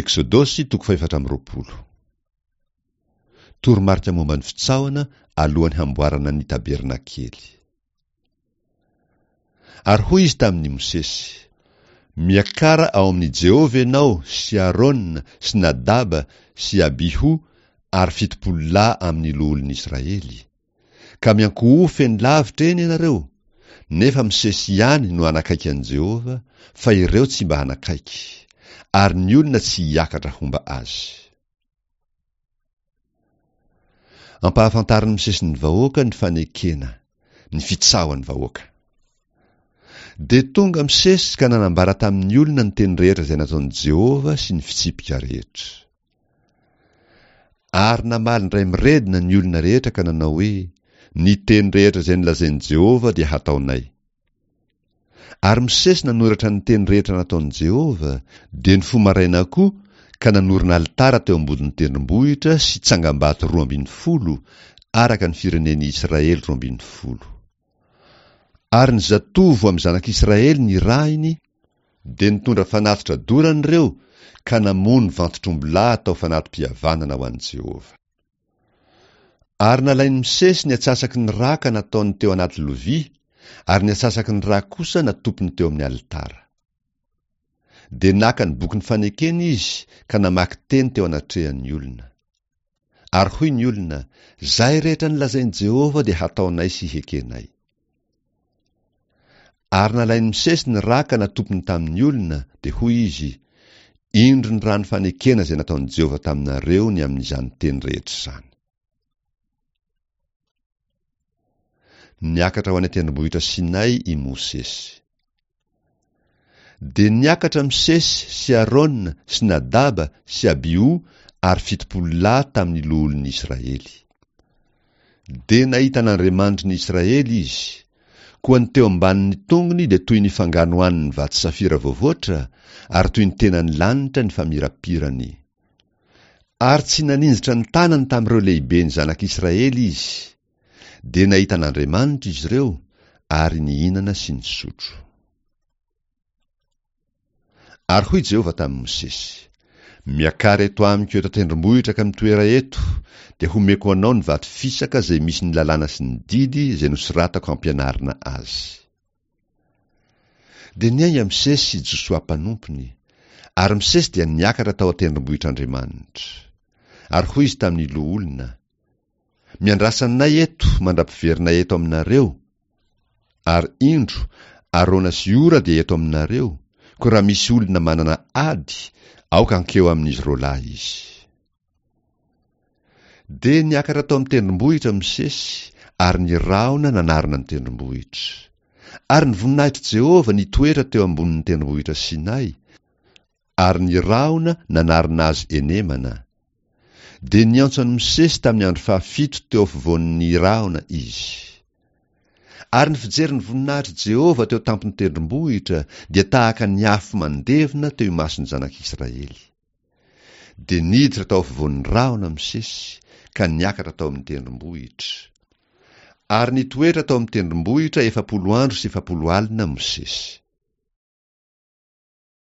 Eksodosy toko fahefatra amby 20. Toromarika momba ny fitsaohana alohan'ny hamboarana ny tabernakely. Ary hoy izy tamin'i Mosesy, Miakara ao amin'i Jehovah ianao sy Arona sy Nadaba sy Abiho ary 70 lahy amin'ny loholon'Israely. Ka miankohofa eny lavitra eny ianareo, nefa Mosesy ihany no hanakaiky an'i Jehovah, fa ireo tsy mba hanakaiky, ary ny olona tsy hiakatra homba azy. Ampahafantarin'i Mosesy ny vahoaka ny fanekena, ny fitsaohan'ny vahoaka. Dia tonga Mosesy ka nanambara tamin'ny olona ny teny rehetra izay nataon'i Jehovah sy ny fitsipika rehetra. Ary namaly indray miredona ny olona rehetra ka nanao hoe, Ny teny rehetra izay nolazain'i Jehovah dia hataonay. Ary Mosesy nanoratra ny teny rehetra nataon'i Jehovah, dia nifoha maraina koa ka nanorina alitara teo ambodin'ny tendrombohitra sy tsangambato 12, araka ny firenen'i Israely 12. Ary ny zatovo amin'ny zanak'Israely nirahiny, dia nitondra fanatitra dorana ireo ka namono vantotr'ombilahy atao fanati-pihavanana ho an'i Jehovah. Ary nalain'i Mosesy ny atsasaky ny ra ka nataony teo anaty lovia, ary ny atsasaky ny ra kosa natopiny teo amin'ny alitara. Dia naka ny bokin'ny fanekena izy ka namaky teny teo anatrehan'ny olona. Ary hoy ny olona, Izay rehetra nolazain'i Jehovah dia hataonay sy hekenay. Ary nalain'i Mosesy ny ra ka natopiny tamin'ny olona, dia hoy izy, Indro ny rano fanekena izay nataon'i Jehovah taminareo ny amin'izany teny rehetra izany. Niakatra ho any an-tendrombohitra Sinay i Mosesy. Dia niakatra Mosesy sy Arona sy Nadaba sy Abiho ary 70 lahy tamin'ny loholon'ny Israely. Dia nahita an'Andriamanitry ny Israely izy. Koa ny teo ambanin'ny tongony dia toy ny fanganohan'ny vato safira voavoatra, ary toy ny tenan'ny lanitra ny famirapirany. Ary tsy naninjitra ny tanany tamin'ireo lehiben'ny zanak'Israely izy. Dia nahita an'Andriamanitra izy ireo, ary nihinana sy nisotro. Ary hoy Jehovah tamin'i Mosesy, Miakara eto amiko eto an-tendrombohitra ka mitoera eto, dia homeko anao ny vato fisaka izay misy ny lalàna sy ny didy izay nosoratako hampianarina azy. Dia niainga Mosesy sy Josoa mpanompony, ary Mosesy dia niakatra tao an-tendrombohitr'Andriamanitra. Ary hoy izy tamin'ny loholona, Miandrasa anay eto mandra-piverina eto aminareo, ary indro, Arona sy Hora dia eto aminareo, koa raha misy olona manana ady, aoka hankeo amin'izy roalahy izy. Dia niakatra tao amin'ny tendrombohitra Mosesy, ary ny rahona nanarona ny tendrombohitra. Ary ny voninahitr'i Jehovah nitoetra teo ambonin'ny tendrombohitra Sinay, ary ny rahona nanarona azy enemana. Dia niantso an'i Mosesy tamin'ny andro fahafito teo afovoan'ny rahona izy. Ary ny fijery ny voninahitr'i Jehovah teo tampon'ny tendrombohitra dia tahaka ny afo mandevona teo imason'ny zanak'Israely. Dia niditra tao afovoan'ny rahona Mosesy ka niakatra tao amin'ny tendrombohitra. Ary nitoetra tao amin'ny tendrombohitra 40 andro sy 40 alina Mosesy.